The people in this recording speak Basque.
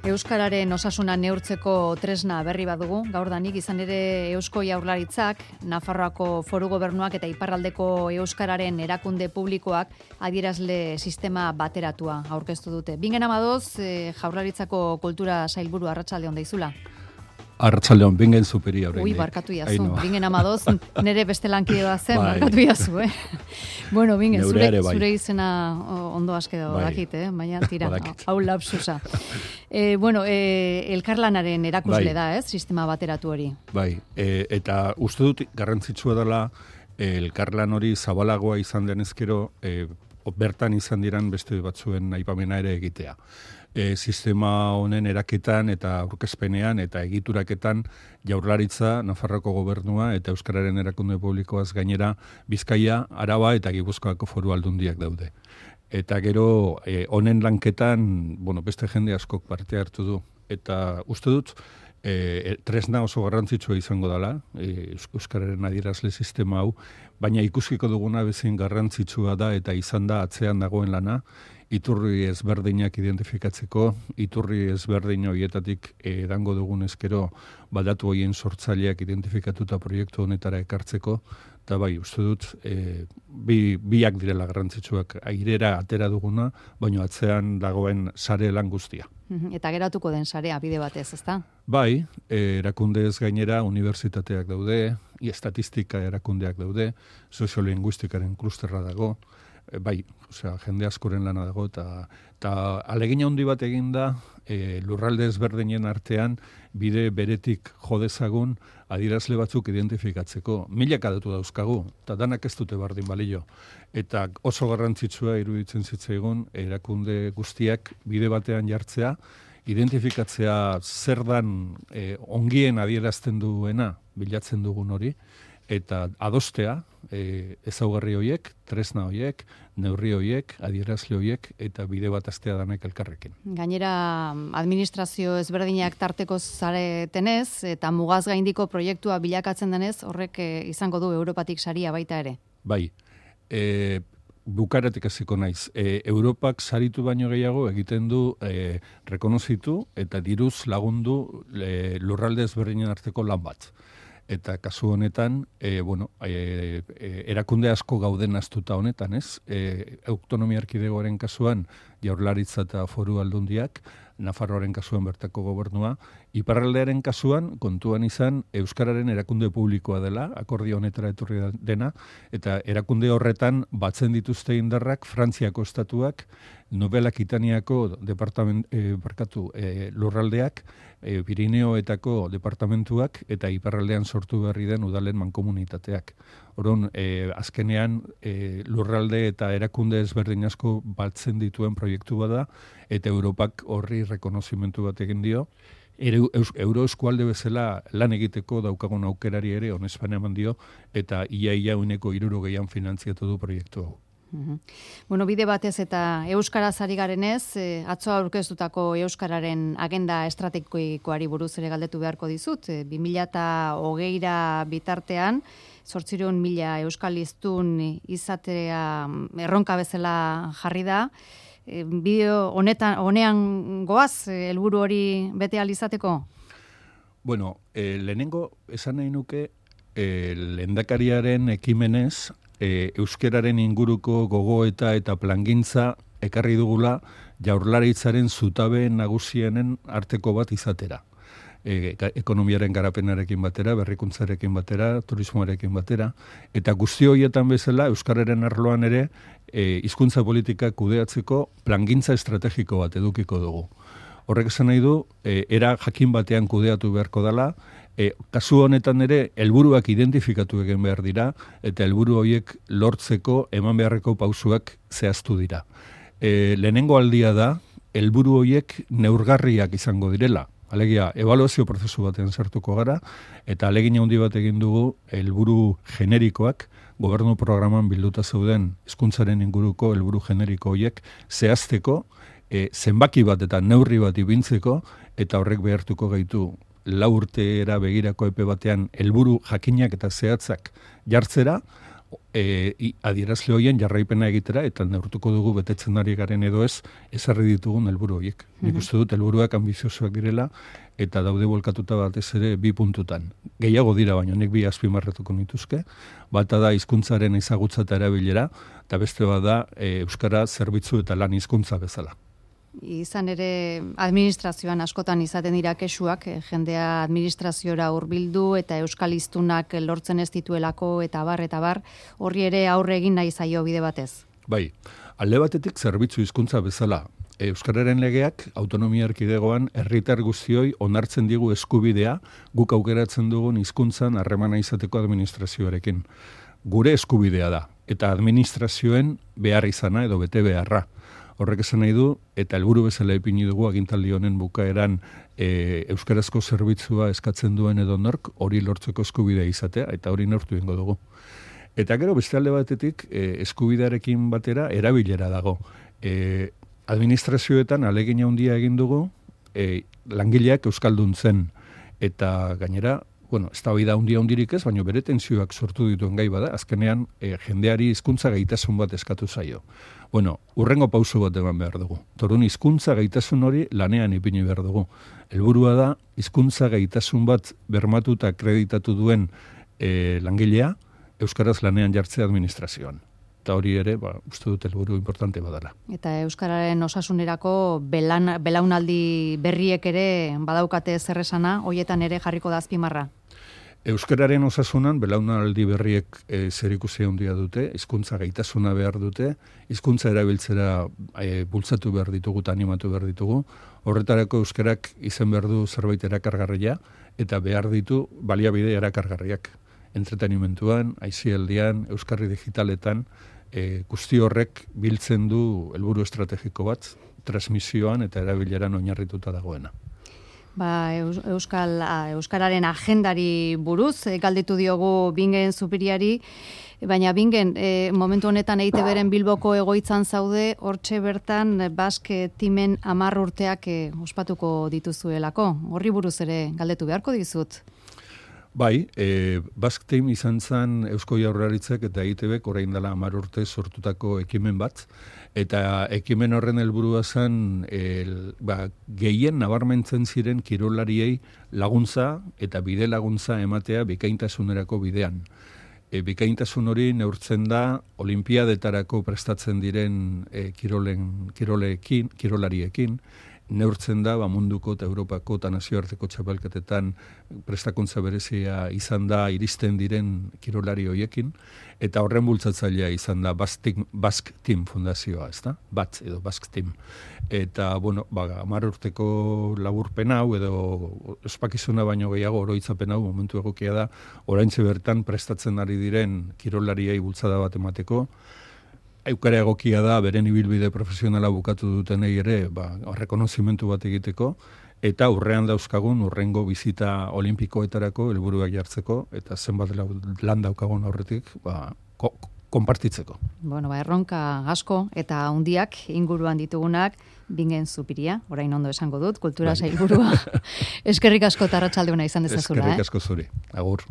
Euskararen osasuna neurtzeko tresna berri badugu, gaurdanik izan ere Eusko Jaurlaritzak, Nafarroako Foru Gobernuak eta Iparraldeko Euskararen erakunde publikoak adierazle sistema bateratua aurkeztu dute. Bingen amadoz, Jaurlaritzako Kultura Sailburu Arratsalde on daizula. Arratsalde on, bingen superi horrein. Ui, barkatu jazu. Bingen amadoz, nere beste lankidea zen, barkatu jazu, Bueno, bingen, zure izena ondo askedo dakit, baina tira, hau lapsusa. Elkarlanaren erakusle da, sistema bateratu hori. Bai, eta uste dut garrantzitsua dela elkarlan hori zabalagoa izan denezkero, bertan izan diran beste batzuen aipamena ere egitea. Sistema honen eraketan eta aurkezpenean eta egituraketan Jaurlaritza, Nafarroako Gobernua eta Euskararen erakunde publikoaz gainera Bizkaia, Araba eta Gipuzkoako Foru Aldundiak daude. Eta gero honen lanketan, beste jende askok parte hartu du. Eta uste dut, tresna oso garrantzitsua izango dela, Euskararen adierazle sistema hau, baina ikuskiko duguna bezain garrantzitsua da eta izan da atzean dagoen lana, iturri ezberdinak identifikatzeko, iturri ezberdin horietatik dango dugun ezkero badatu horien sortzaileak identifikatuta proiektu honetara ekartzeko, eta bai, uste dut, biak direla garrantzitsuak airera atera duguna, baina atzean dagoen sare lan guztia. Eta geratuko den sarea bide batez, ezta? Bai, erakundez gainera unibertsitateak daude, estatistika erakundeak daude, soziolinguistikaren klusterra dago, bai, jende askoren lana dago, eta alegina handi bat egin da lurralde ezberdinen artean bide beretik jodezagun adierazle batzuk identifikatzeko. Milaka datu dauzkagu, eta danak ez dute bardin balio. Eta oso garrantzitsua iruditzen zitzaigun erakunde guztiak bide batean jartzea, identifikatzea zer dan ongien adierazten duena bilatzen dugun hori, eta adostea ezaugarri horiek, tresna horiek, neurri horiek, adierazle horiek, eta bide bat astea danek elkarrekin. Gainera, administrazio ezberdinak tarteko zaretenez, eta mugaz gaindiko proiektua bilakatzen denez, horrek izango du Europatik saria baita ere. Bai, bukaratik hasiko naiz. Europak saritu baino gehiago egiten du rekonozitu eta diruz lagundu lurralde ezberdinen arteko lan bat. Eta kasu honetan, erakunde asko gauden astuta honetan, autonomia erkidegoaren kasuan Jaurlaritza eta Foru Aldundiak, Nafarroaren kasuan bertako gobernua, Iparraldearen kasuan kontuan izan Euskararen erakunde publikoa dela, akordio honetara etorri dena, eta erakunde horretan batzen dituzte indarrak Frantziako estatuak, Nobel Akitaniako lurraldeak, Pirineoetako departamentuak eta Iparraldean sortu berri den udalen mankomunitateak. Orduan, azkenean lurralde eta erakunde ezberdin asko batzen dituen proiektu bada, eta Europak horri rekonozimentu bat egin dio. Euroeskualde bezala lan egiteko daukagun aukerari ere onespan eman dio, eta ia uneko 60 finantziatu du proiektu hau. Bide batez eta euskaraz ari garenez, atzo aurkeztutako euskararen agenda estrategikoari buruz ere galdetu beharko dizut. 2020ra bitartean, 800.000 euskaliztun izatea erronka bezala jarri da. Bideo honean goaz, helburu hori bete ahal izateko? Lehenengo esan nahi nuke lehendakariaren ekimenez euskararen inguruko gogoeta eta plangintza ekarri dugula Jaurlaritzaren zutabe nagusienen arteko bat izatera. Ekonomiaren garapenarekin batera, berrikuntzarekin batera, turismoarekin batera, eta guzti horietan bezala euskararen arloan ere hizkuntza politika kudeatzeko plangintza estrategiko bat edukiko dugu. Horrek esan nahi du, era jakin batean kudeatu beharko dela, kasu honetan ere helburuak identifikatu egin behar dira, eta helburu horiek lortzeko eman beharreko pausuak zehaztu dira. Lehenengo aldia da, helburu horiek neurgarriak izango direla. Alegia, ebaluazio prozesu batean sartuko gara, eta alegin handi bat egin dugu helburu generikoak, gobernu programan bilduta zeuden hizkuntzaren inguruko helburu generiko horiek zehazteko, zenbaki bat eta neurri bat ipintzeko, eta horrek behartuko gaitu 4 urtera begirako epe batean helburu jakinak eta zehatzak jartzera, adierazle horien jarraipena egitera eta neurtuko dugu betetzen ari garen edo ezarri ditugun helburu horiek. Nik uste dut helburuak ambiziosoak direla eta daude volkatuta batez ere 2 puntutan. Gehiago dira baina nik 2 azpimarratuko nituzke. Bata da hizkuntzaren ezagutza eta erabilera eta beste bada euskara zerbitzu eta lan hizkuntza bezala. Izan ere administrazioan askotan izaten dira kexuak, jendea administraziora hurbildu eta euskal hiztunak lortzen ez dituelako eta bar, horri ere aurre egin nahi zaio bide batez. Bai, alde batetik zerbitzu hizkuntza bezala. Euskararen legeak autonomia erkidegoan herritar guztioi onartzen digu eskubidea guk aukeratzen dugun hizkuntzan harremana izateko administrazioarekin. Gure eskubidea da eta administrazioen behar izana edo bete beharra. Horrek esan nahi du, eta helburu bezala ipini dugu agintaldi honen bukaeran euskarazko zerbitzua eskatzen duen edo nork hori lortzeko eskubidea izatea, eta hori neurtu egingo dugu. Eta gero beste alde batetik eskubidearekin batera erabilera dago. Administrazioetan alegina handia egin dugu langileak euskaldun zen, eta gainera, ez da bida handirik ez, baina bere tentsioak sortu dituen gai bada, azkenean jendeari hizkuntza gaitasun bat eskatu zaio. Urrengo pauso bat eman behar dugu. Torun hizkuntza gaitasun hori lanean ipini behar dugu. Helburua da hizkuntza gaitasun bat bermatuta akreditatu duen langilea euskaraz lanean jartzea administrazioan. Eta hori ere, uste dut helburu importante badala. Eta euskararen osasunerako belaunaldi berriek ere badaukate zer esana, hoietan ere jarriko da azpimarra. Euskararen osasunan belaunaldi berriek zerikusia handia dute, hizkuntza gaitasuna behar dute, hizkuntza erabiltzera bultzatu behar ditugu eta animatu behar ditugu. Horretarako euskarak izen behar du zerbait erakargarria eta behar ditu baliabide erakargarriak. Entretenimentuan, aisialdian, euskarri digitaletan, guzti horrek biltzen du helburu estrategiko bat, transmisioan eta erabileran oinarrituta dagoena. Euskararen agendari buruz, galdetu diogu Bingen Zupiriari, baina Bingen, momentu honetan EITB-ren Bilboko egoitzan zaude, hortxe bertan Basque Teamen 10 urteak ospatuko dituzuelako. Horri buruz ere galdetu beharko dizut. Bai, Basque Team izan zen Eusko Jaurlaritzak eta EITBek orain dela 10 urte sortutako ekimen bat, eta ekimen horren helburua zen gehien nabarmentzen ziren kirolariei laguntza eta bide laguntza ematea bikaintasunerako bidean. Bikaintasun hori neurtzen da olimpiadetarako prestatzen diren kirolariekin, neurtzen da munduko eta Europako eta nazioarteko txapelketetan prestakuntza berezia izan da iristen diren kirolari hoiekin, eta horren bultzatzailea izan da Basque Team fundazioa, ez da? BATS edo Basque Team. Eta, 10 urteko laburpen hau edo ospakizuna baino gehiago oroitzapen hau momentu egokia da, oraintxe bertan prestatzen ari diren kirolariei bultzada bat emateko. Eukara egokia da, beren ibilbide profesionala bukatu dutenei ere, rekonozimentu bat egiteko, eta urrean dauzkagun urrengo bizita olimpikoetarako helburuak jartzeko, eta zenbat lan daukagun aurretik, konpartitzeko. Erronka asko eta handiak inguruan ditugunak, Bingen Zupiria, orain ondo esango dut, kultura sailburua. Eskerrik asko eta arratsalde ona izan dezazula. Eskerrik asko zuri. Agur.